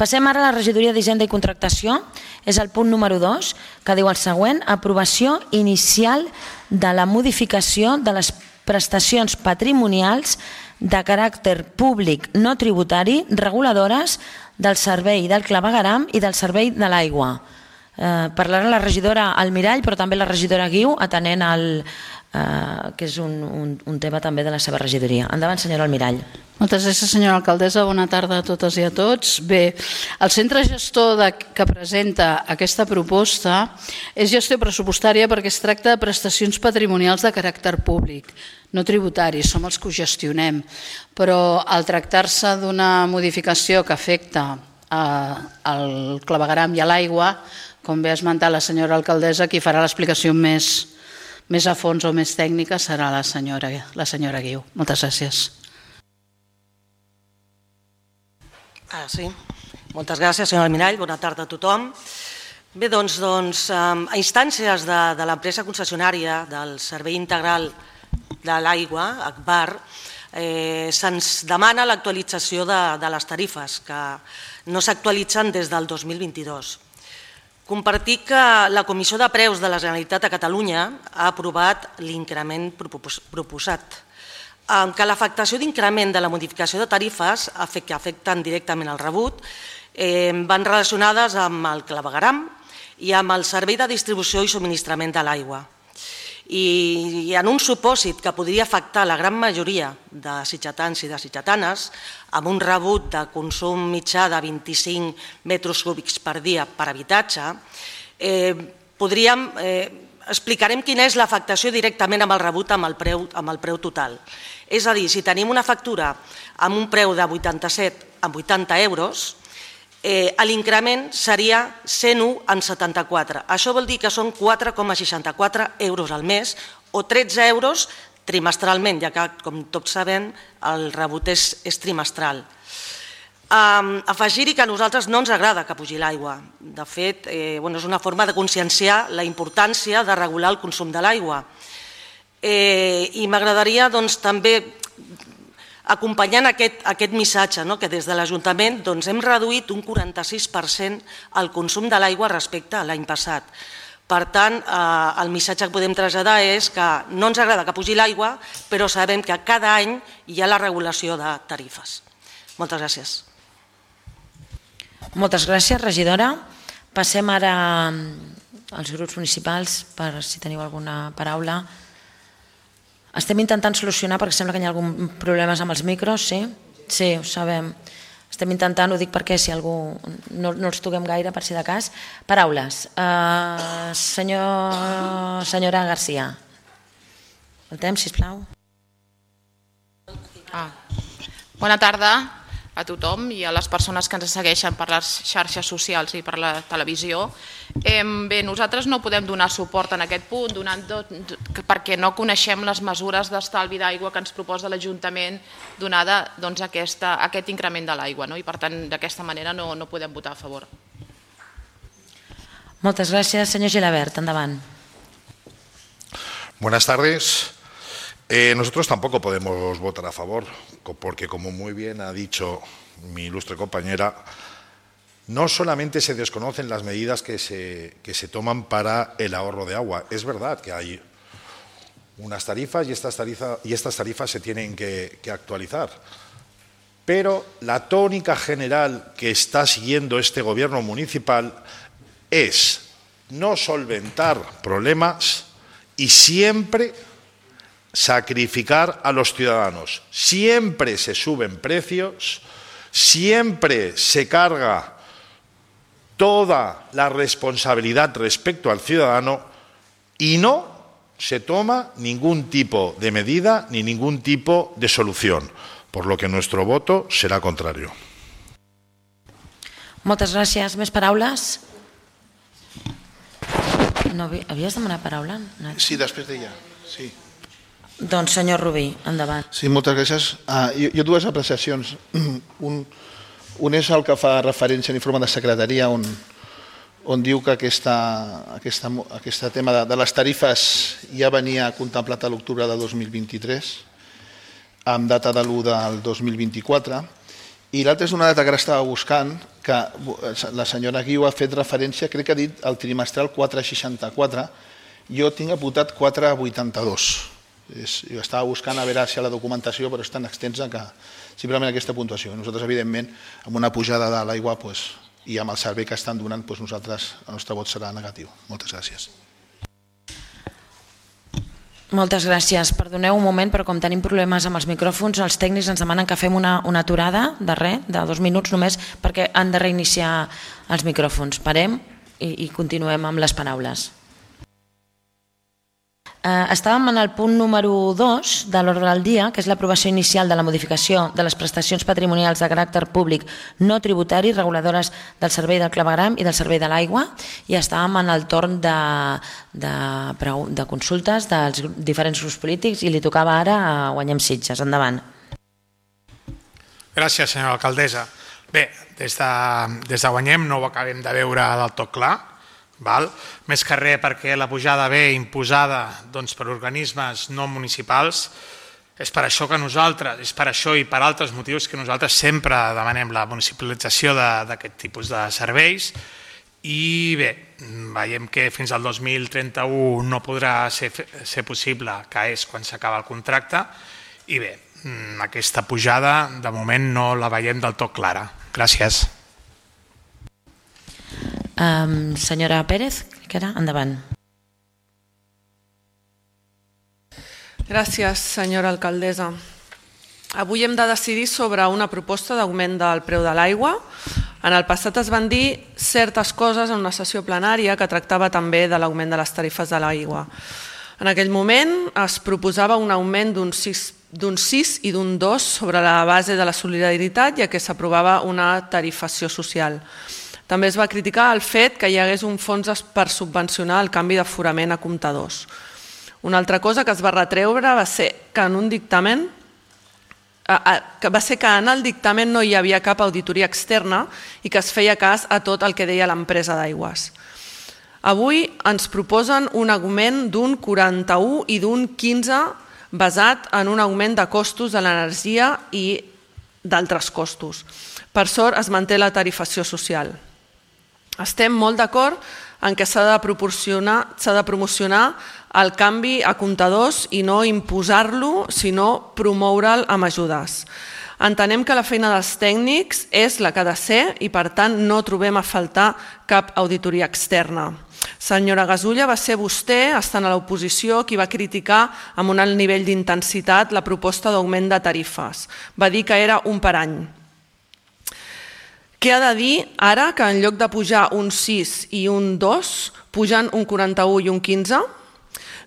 Passem ara a la regidoria d'Hisenda i Contractació. És el punt número 2, que diu el següent: aprovació inicial de la modificació de les prestacions patrimonials de caràcter públic no tributari reguladores del servei del clavegueram i del servei de l'aigua. Parlarà la regidora Almirall, però també la regidora Guiu, atenent que és un tema també de la seva regidoria. Endavant, senyora Almirall. Moltes gràcies, senyora alcaldessa. Bona tarda a totes i a tots. Bé, el centre gestor que presenta aquesta proposta és gestió pressupostària perquè es tracta de prestacions patrimonials de caràcter públic, no tributaris, som els que ho gestionem. Però al tractar-se d'una modificació que afecta el clavegueram i a l'aigua, com bé ha esmentat la senyora alcaldessa, qui farà l'explicació més a fons o més tècnica serà la senyora Guiu. Moltes gràcies. Sí. Moltes gràcies, senyora Almirall. Bona tarda a tothom. Bé, doncs, a instàncies de l'empresa concessionària del Servei Integral de l'Aigua, ACBAR, se'ns demana l'actualització de les tarifes, que no s'actualitzen des del 2022. Compartir que la Comissió de Preus de la Generalitat de Catalunya ha aprovat l'increment proposat, que l'afectació d'increment de la modificació de tarifes que afecten directament el rebut van relacionades amb el clavegueram i amb el servei de distribució i subministrament de l'aigua. I en un supòsit que podria afectar la gran majoria de sitgetans i de sitgetanes, amb un rebut de consum mitjà de 25 metres cúbics per dia per habitatge, explicarem quina és l'afectació directament amb el rebut amb el preu total. És a dir, si tenim una factura amb un preu de 87 a 80 euros, l'increment seria 101,74. Això vol dir que són 4,64 euros al mes o 13 euros trimestralment, ja que, com tots sabem, el rebut és trimestral. Afegir-hi que a nosaltres no ens agrada que pugi l'aigua. De fet, és una forma de conscienciar la importància de regular el consum de l'aigua. I m'agradaria també, acompanyant aquest missatge, que des de l'Ajuntament hem reduït un 46% el consum de l'aigua respecte a l'any passat. Per tant, el missatge que podem traslladar és que no ens agrada que pugi l'aigua, però sabem que cada any hi ha la regulació de tarifes. Moltes gràcies. Moltes gràcies, regidora. Passem ara als grups municipals per si teniu alguna paraula. Estem intentant solucionar perquè sembla que hi ha algun problemes amb els micros, sí? Sí, ho sabem. Estem intentant, ho dic perquè si algú no els toquem gaire, per si de cas. Paraules. Senyora Garcia. El temps, sisplau. Bona tarda a tothom i a les persones que ens segueixen per les xarxes socials i per la televisió. Bé, nosaltres no podem donar suport en aquest punt perquè no coneixem les mesures d'estalvi d'aigua que ens proposa l'Ajuntament donada aquest increment de l'aigua i per tant d'aquesta manera no podem votar a favor. Moltes gràcies. Senyor Gilabert, endavant. Buenas tardes. Nosotros tampoco podemos votar a favor, porque como muy bien ha dicho mi ilustre compañera, no solamente se desconocen las medidas que se toman para el ahorro de agua. Es verdad que hay unas tarifas y estas tarifas se tienen que actualizar. Pero la tónica general que está siguiendo este gobierno municipal es no solventar problemas y siempre sacrificar a los ciudadanos. Siempre se suben precios, siempre se carga toda la responsabilidad respecto al ciudadano y no se toma ningún tipo de medida ni ningún tipo de solución, por lo que nuestro voto será contrario. Moltes gràcies. Més paraules? No, havies demanat paraula? Sí, després d'ella. Sí. Doncs senyor Rubí, endavant. Sí, moltes gràcies. Jo dues apreciacions. Un és el que fa referència a l'informe de secretaria on diu que aquest tema de les tarifes ja venia contemplat a l'octubre de 2023 amb data de l'1 del 2024 I l'altra és una data que ara estava buscant, que la senyora Guiu ha fet referència, crec que ha dit el trimestral 4,64, jo tinc apuntat 4,82. Jo estava buscant a veure si a la documentació, però és tan extensa que simplement aquesta puntuació. Nosaltres, evidentment, amb una pujada de l'aigua i amb el servei que estan donant, nosaltres, el nostre vot serà negatiu. Moltes gràcies. Moltes gràcies. Perdoneu un moment, però com tenim problemes amb els micròfons, els tècnics ens demanen que fem una aturada de 2 minuts només, perquè han de reiniciar els micròfons. Parem i continuem amb les paraules. Estàvem en el punt número 2 de l'ordre del dia, que és l'aprovació inicial de la modificació de les prestacions patrimonials de caràcter públic no tributari reguladores del servei del clavegram i del servei de l'aigua, i estàvem en el torn de consultes dels diferents grups polítics i li tocava ara a Guanyem Sitges. Endavant. Gràcies, senyora alcaldessa. Bé, des de Guanyem no ho acabem de veure del tot clar, més que res perquè la pujada ve imposada per organismes no municipals. És per això que nosaltres, és per això i per altres motius que nosaltres sempre demanem la municipalització d'aquest tipus de serveis. I bé, veiem que fins al 2031 no podrà ser possible, que és quan s'acaba el contracte, i bé, aquesta pujada de moment no la veiem del tot clara. Gràcies. Senyora Pérez, endavant. Gràcies, senyora alcaldessa. Avui hem de decidir sobre una proposta d'augment del preu de l'aigua. En el passat es van dir certes coses en una sessió plenària que tractava també de l'augment de les tarifes de l'aigua. En aquell moment es proposava un augment d'un 6 i d'un 2 sobre la base de la solidaritat, ja que s'aprovava una tarifació social. També es va criticar el fet que hi hagués un fons per subvencionar el canvi d'aforament a comptadors. Una altra cosa que es va retreure va ser que en el dictamen no hi havia cap auditoria externa i que es feia cas a tot el que deia l'empresa d'aigües. Avui ens proposen un augment d'un 41 i d'un 15 basat en un augment de costos de l'energia i d'altres costos. Per sort es manté la tarifació social. Estem molt d'acord en què s'ha de promocionar el canvi a comptadors i no imposar-lo, sinó promoure'l amb ajudes. Entenem que la feina dels tècnics és la que ha de ser i, per tant, no trobem a faltar cap auditoria externa. Senyora Gasulla, va ser vostè, estant a l'oposició, qui va criticar amb un alt nivell d'intensitat la proposta d'augment de tarifes. Va dir que era un per any. Què ha de dir ara que en lloc de pujar un 6 i un 2, pugen un 41 i un 15?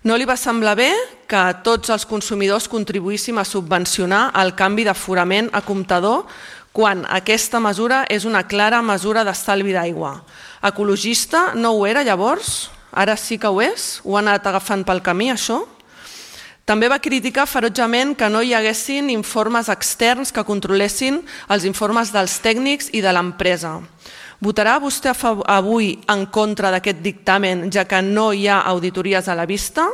No li va semblar bé que tots els consumidors contribuíssim a subvencionar el canvi d'aforament a comptador quan aquesta mesura és una clara mesura d'estalvi d'aigua. Ecologista no ho era llavors? Ara sí que ho és? Ho ha anat agafant pel camí, això? També va criticar ferotgement que no hi haguessin informes externs que controlessin els informes dels tècnics i de l'empresa. Votarà vostè avui en contra d'aquest dictamen, ja que no hi ha auditories a la vista?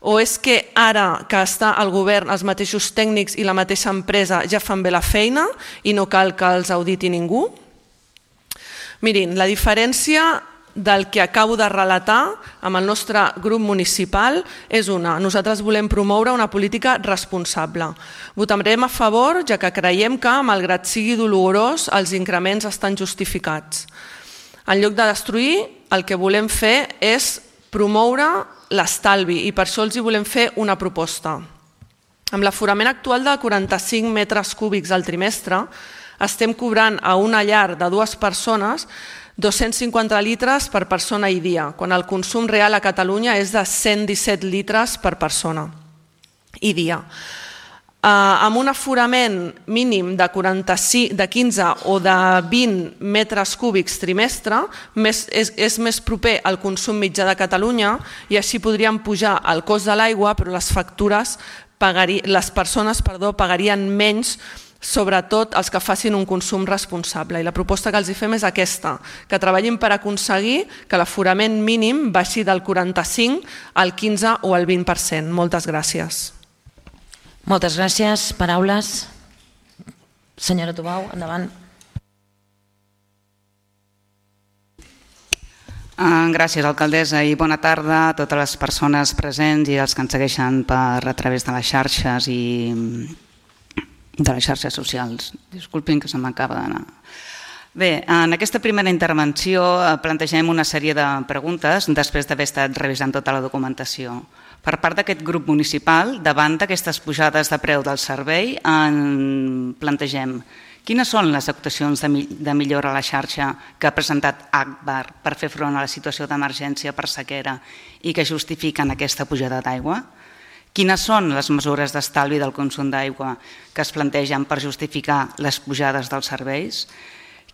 O és que ara que està al govern els mateixos tècnics i la mateixa empresa ja fan bé la feina i no cal que els auditi ningú? Mirin, la diferència del que acabo de relatar amb el nostre grup municipal és una. Nosaltres volem promoure una política responsable. Votarem a favor, ja que creiem que, malgrat sigui dolorós, els increments estan justificats. En lloc de destruir, el que volem fer és promoure l'estalvi i per això els hi volem fer una proposta. Amb l'aforament actual de 45 metres cúbics al trimestre, estem cobrant a una llar de 2 persones 250 litres per persona i dia, quan el consum real a Catalunya és de 117 litres per persona i dia. Amb un aforament mínim de 15 o de 20 metres cúbics trimestre, és més proper al consum mitjà de Catalunya i així podríem pujar el cost de l'aigua, però les persones pagarien menys, sobretot els que facin un consum responsable. I la proposta que els fem és aquesta, que treballin per aconseguir que l'aforament mínim baixi del 45 al 15 o al 20%. Moltes gràcies. Moltes gràcies. Paraules? Senyora Tubau, endavant. Gràcies, alcaldessa, i bona tarda a totes les persones presents i els que ens segueixen a través de les xarxes i de les xarxes socials. Disculpin que se m'acaba d'anar. Bé, en aquesta primera intervenció plantegem una sèrie de preguntes després d'haver estat revisant tota la documentació. Per part d'aquest grup municipal, davant d'aquestes pujades de preu del servei, plantegem quines són les actuacions de millora a la xarxa que ha presentat Agbar per fer front a la situació d'emergència per sequera i que justifiquen aquesta pujada d'aigua? Quines són les mesures d'estalvi del consum d'aigua que es plantegen per justificar les pujades dels serveis?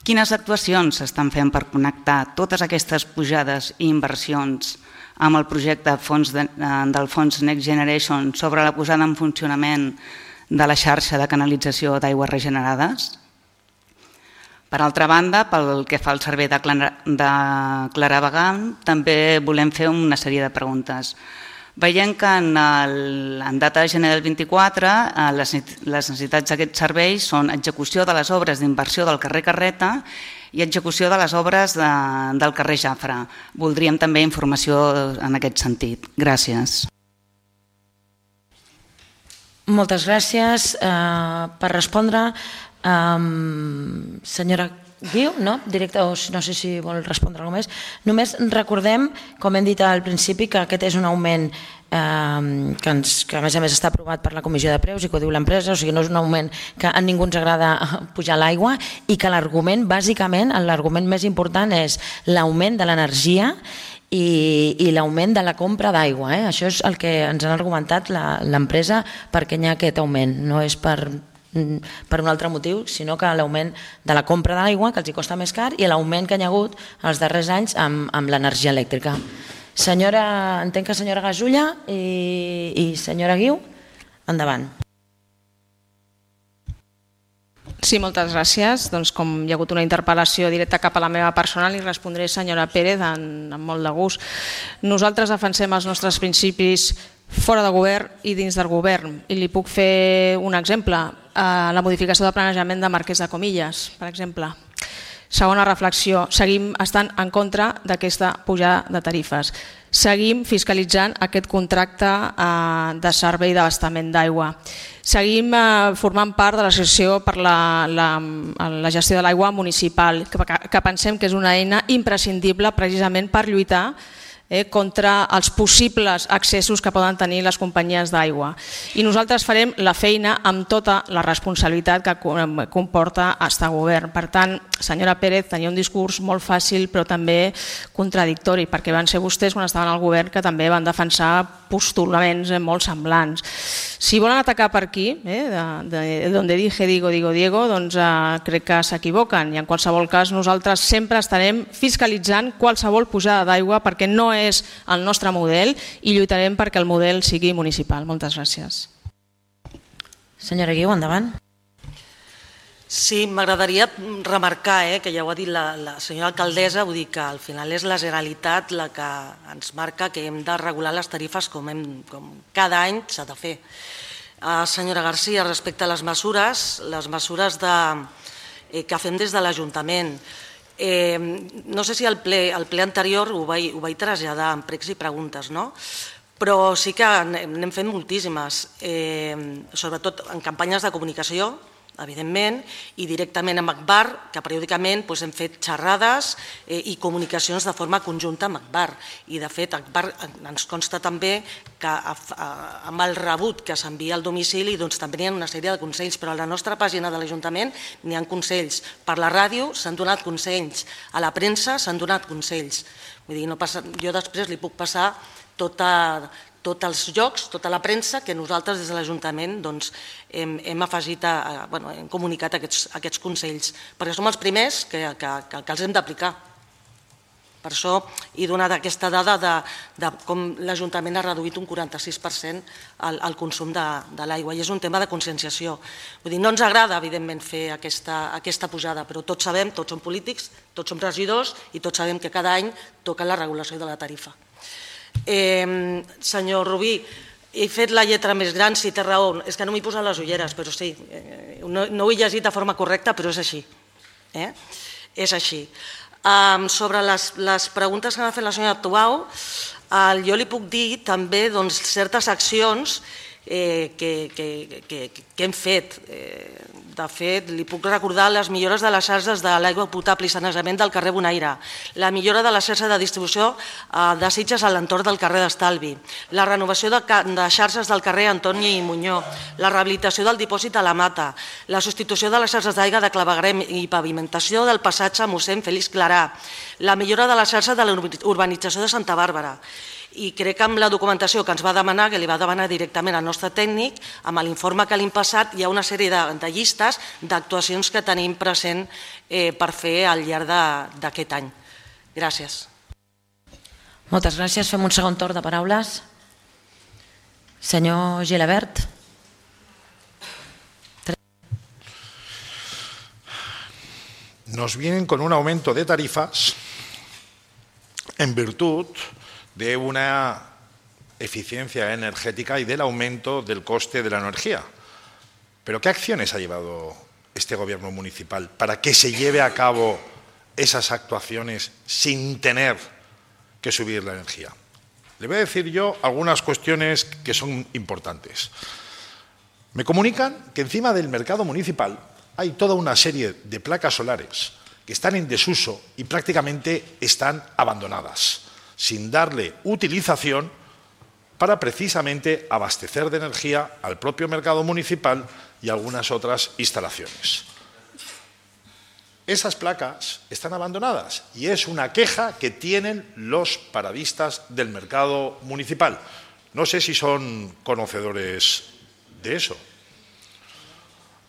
Quines actuacions s'estan fent per connectar totes aquestes pujades i inversions amb el projecte del fons Next Generation sobre la posada en funcionament de la xarxa de canalització d'aigües regenerades? Per altra banda, pel que fa al servei de claravegant, també volem fer una sèrie de preguntes. Veiem que en data de gener del 24 les necessitats d'aquest servei són execució de les obres d'inversió del carrer Carreta i execució de les obres del carrer Jafre. Voldríem també informació en aquest sentit. Gràcies. Moltes gràcies. Per respondre, senyora Guiu, no? Directe, no sé si vol respondre alguna més. Només recordem, com hem dit al principi, que aquest és un augment que a més està aprovat per la Comissió de Preus i que ho diu l'empresa, o sigui, no és un augment que a ningú ens agrada pujar l'aigua i que l'argument, bàsicament, l'argument més important és l'augment de l'energia i l'augment de la compra d'aigua. Això és el que ens han argumentat l'empresa perquè hi ha aquest augment, no és per un altre motiu, sinó que l'augment de la compra de l'aigua, que els costa més car, i l'augment que hi ha hagut els darrers anys amb l'energia elèctrica. Entenc que senyora Gasulla i senyora Guiu, endavant. Sí, moltes gràcies. Doncs com hi ha hagut una interpel·lació directa cap a la meva persona, li respondré, senyora Pérez, amb molt de gust. Nosaltres defensem els nostres principis fora de govern i dins del govern. I li puc fer un exemple. La modificació de planejament de Marquès de Comillas, per exemple. Segona reflexió, seguim estant en contra d'aquesta pujada de tarifes. Seguim fiscalitzant aquest contracte de servei d'abastament d'aigua. Seguim formant part de l'associació per la gestió de l'aigua municipal, que pensem que és una eina imprescindible precisament per lluitar contra els possibles accessos que poden tenir les companyies d'aigua. I nosaltres farem la feina amb tota la responsabilitat que comporta estar a govern. Per tant, senyora Pérez, tenia un discurs molt fàcil però també contradictori, perquè van ser vostès quan estaven al govern que també van defensar postulaments molt semblants. Si volen atacar per aquí, de donde dije digo, digo Diego, doncs crec que s'equivoquen i en qualsevol cas nosaltres sempre estarem fiscalitzant qualsevol pujada d'aigua perquè no és el nostre model i lluitarem perquè el model sigui municipal. Moltes gràcies. Senyora Guiu, endavant. Sí, m'agradaria remarcar, que ja ho ha dit la senyora alcaldessa, vull dir que al final és la Generalitat la que ens marca que hem de regular les tarifes com cada any s'ha de fer. Senyora García, respecte a les mesures que fem des de l'Ajuntament, no sé si al ple anterior ho vaig traslladar en pregs i preguntes, no? Però sí que n'hem fet moltíssimes, sobretot en campanyes de comunicació, evidentment, i directament amb Agbar, que periòdicament hem fet xerrades i comunicacions de forma conjunta amb Agbar. I de fet, Agbar ens consta també que amb el rebut que s'envia al domicili també hi ha una sèrie de consells, però a la nostra pàgina de l'Ajuntament n'hi ha consells. Per la ràdio s'han donat consells, a la premsa s'han donat consells. Jo després li puc passar tots els llocs, tota la premsa que nosaltres des de l'Ajuntament hem afegit, hem comunicat aquests consells, perquè som els primers que els hem d'aplicar. Per això he donat aquesta dada de com l'Ajuntament ha reduït un 46% el consum de l'aigua i és un tema de conscienciació. No ens agrada, evidentment, fer aquesta pujada, però tots sabem, tots som polítics, tots som regidors i tots sabem que cada any toca la regulació de la tarifa. Senyor Rubí, he fet la lletra més gran, si té raó, és que no m'hi posen les ulleres, però sí, no ho he llegit de forma correcta, però és així. És així. Sobre les preguntes que m'ha fet la senyora Tubau, jo li puc dir també certes accions que hem fet. De fet, li puc recordar les millores de les xarxes de l'aigua potable i sanejament del carrer Bonaire, la millora de la xarxa de distribució de Sitges a l'entorn del carrer d'Estalvi, la renovació de xarxes del carrer Antoni i Muñó, la rehabilitació del dipòsit a la Mata, la substitució de les xarxes d'aigua de clavegueram i pavimentació del passatge mossèn Félix Clarà, la millora de la xarxa de la urbanització de Santa Bàrbara. I crec que amb la documentació que ens va demanar, que li va demanar directament al nostre tècnic, amb l'informe que li hem passat, hi ha una sèrie de llistes d'actuacions que tenim present per fer al llarg d'aquest any. Gràcies. Moltes gràcies. Fem un segon torn de paraules. Senyor Gilabert. Nos vienen con un aumento de tarifas en virtud de una eficiencia energética y del aumento del coste de la energía. ¿Pero qué acciones ha llevado este gobierno municipal para que se lleve a cabo esas actuaciones sin tener que subir la energía? Le voy a decir yo algunas cuestiones que son importantes. Me comunican que encima del mercado municipal hay toda una serie de placas solares que están en desuso y prácticamente están abandonadas, sin darle utilización para precisamente abastecer de energía al propio mercado municipal y algunas otras instalaciones. Esas placas están abandonadas y es una queja que tienen los paradistas del mercado municipal. No sé si son conocedores de eso.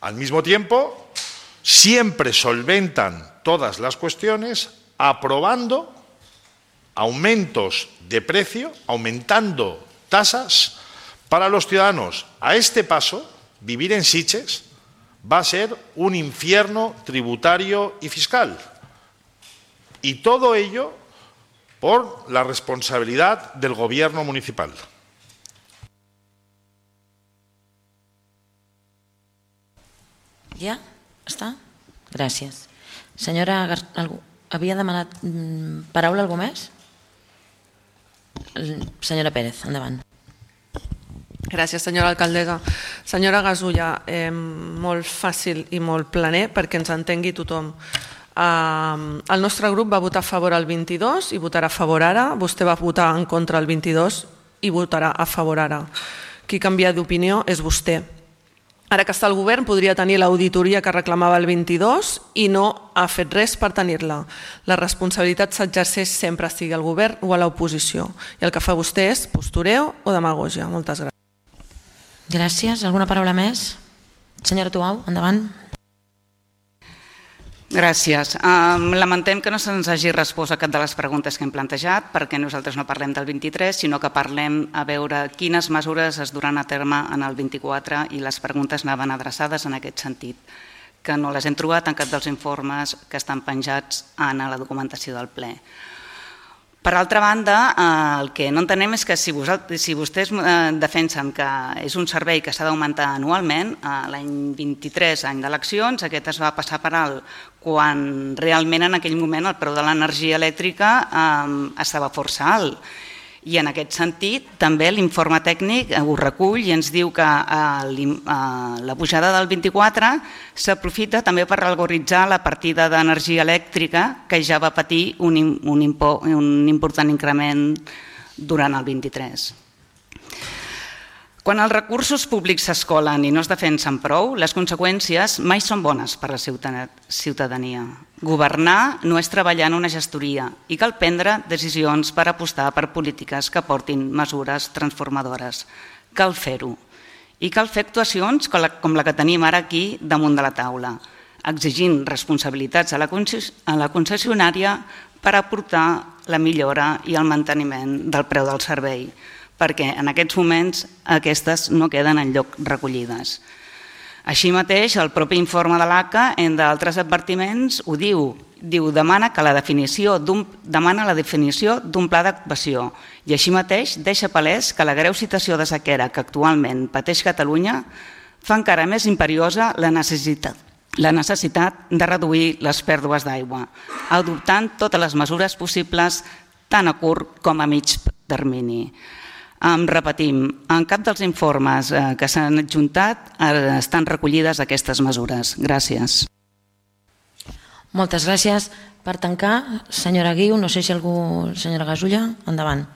Al mismo tiempo, siempre solventan todas las cuestiones aprobando aumentos de precio, aumentando tasas para los ciudadanos. A este paso, vivir en Sitges va a ser un infierno tributario y fiscal. Y todo ello por la responsabilidad del gobierno municipal. Ja? Està? Gràcies. Senyora, havia demanat paraula algú més? Senyora Pérez, endavant. Gràcies, senyora alcaldessa. Senyora Gasulla, molt fàcil i molt planer perquè ens entengui tothom. El nostre grup va votar a favor el 22 i votarà a favor ara. Vostè va votar en contra el 22 i votarà a favor ara. Qui canvia d'opinió és vostè. Ara que està al govern podria tenir l'auditoria que reclamava el 22 i no ha fet res per tenir-la. La responsabilitat s'exerceix sempre sigui al govern o a l'oposició. I el que fa vostè és postureo o demagògia. Moltes gràcies. Gràcies. Alguna paraula més? Senyora Tubau, endavant. Gràcies. Lamentem que no se'ns hagi respost a cap de les preguntes que hem plantejat perquè nosaltres no parlem del 23, sinó que parlem a veure quines mesures es duran a terme en el 24 i les preguntes anaven adreçades en aquest sentit, que no les hem trobat en cap dels informes que estan penjats en la documentació del ple. Per altra banda, el que no entenem és que si vostès defensen que és un servei que s'ha d'augmentar anualment, l'any 23, any d'eleccions, aquest es va passar per alt, quan realment en aquell moment el preu de l'energia elèctrica estava força alt. I en aquest sentit també l'informe tècnic ho recull i ens diu que la pujada del 24 s'aprofita també per algoritzar la partida d'energia elèctrica que ja va patir un important increment durant el 23. Quan els recursos públics s'escolen i no es defensen prou, les conseqüències mai són bones per a la ciutadania. Governar no és treballar en una gestoria i cal prendre decisions per apostar per polítiques que portin mesures transformadores. Cal fer-ho. I cal fer actuacions com la que tenim ara aquí damunt de la taula, exigint responsabilitats a la concessionària per aportar la millora i el manteniment del preu del servei, perquè en aquests moments aquestes no queden enlloc recollides. Així mateix, el propi informe de l'ACA, entre altres advertiments, ho diu, diu, demana la definició d'un pla d'actuació i així mateix deixa palès que la greu situació de sequera que actualment pateix Catalunya fa encara més imperiosa la necessitat de reduir les pèrdues d'aigua, adoptant totes les mesures possibles tant a curt com a mig termini. Repetim, en cap dels informes que s'han adjuntat estan recollides aquestes mesures. Gràcies. Moltes gràcies. Per tancar, senyora Guiu, no sé si algú... Senyora Gasulla, endavant.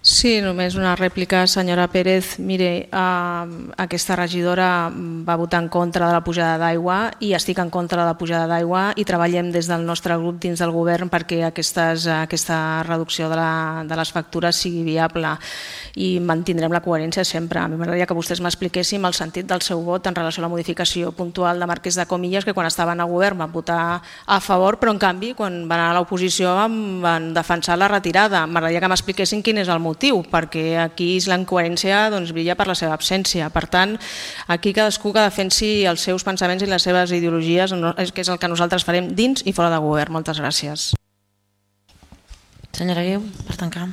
Sí, només una rèplica, senyora Pérez. Mire, aquesta regidora va votar en contra de la pujada d'aigua i estic en contra de la pujada d'aigua i treballem des del nostre grup dins del govern perquè aquesta reducció de les factures sigui viable i mantindrem la coherència sempre. A mi m'agradaria que vostès m'expliquessin el sentit del seu vot en relació a la modificació puntual de Marquès de Comillas, que quan estaven a govern van votar a favor, però en canvi quan van anar a l'oposició van defensar la retirada. M'agradaria que m'expliquessin quin és el motiu, perquè aquí la incoherència brilla per la seva absència. Per tant, aquí cadascú que defensi els seus pensaments i les seves ideologies, que és el que nosaltres farem dins i fora de govern. Moltes gràcies. Senyora Guiu, per tancar.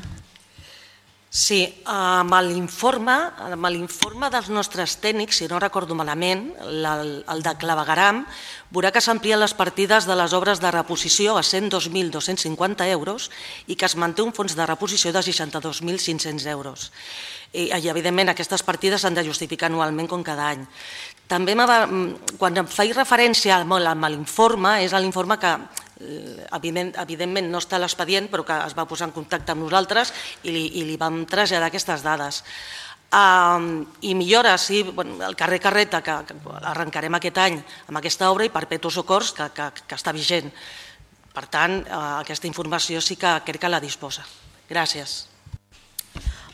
Sí, amb l'informe dels nostres tècnics, si no recordo malament, el de clavegueram, veurà que s'amplien les partides de les obres de reposició a 102.250 euros i que es manté un fons de reposició de 62.500 euros. I, evidentment, aquestes partides s'han de justificar anualment com cada any. També, quan em faig referència a l'informe, és l'informe que evidentment no està a l'expedient, però que es va posar en contacte amb nosaltres i li vam traslladar aquestes dades. I millores, sí, el carrer Carreta, que arrencarem aquest any amb aquesta obra, i Perpetuo Socors, que està vigent. Per tant, aquesta informació sí que crec que la disposa. Gràcies.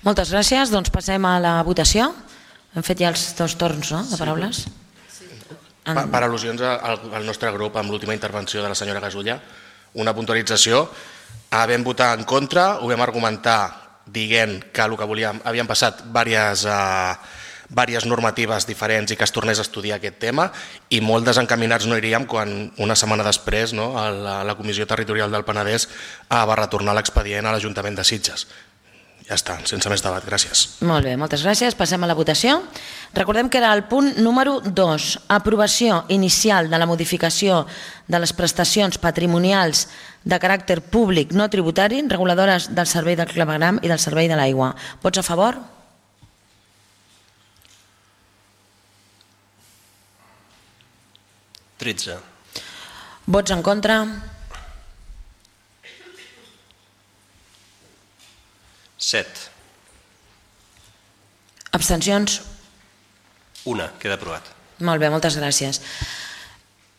Moltes gràcies. Doncs passem a la votació. Hem fet ja els dos torns de paraules. Per al·lusions al nostre grup amb l'última intervenció de la senyora Gasulla, una puntualització. Vam votar en contra, ho vam argumentar dient que el que volíem, havien passat diverses normatives diferents i que es tornés a estudiar aquest tema, i molt desencaminats no iríem quan una setmana després la Comissió Territorial del Penedès va retornar l'expedient a l'Ajuntament de Sitges. Ja està, sense més debat, gràcies. Molt bé, moltes gràcies. Passem a la votació. Recordem que era el punt número 2, aprovació inicial de la modificació de les prestacions patrimonials de caràcter públic no tributari, reguladores del servei del clavegueram i del servei de l'aigua. Vots a favor? (13). Vots en contra? 7. Abstencions? 1. Queda aprovat. Molt bé, moltes gràcies.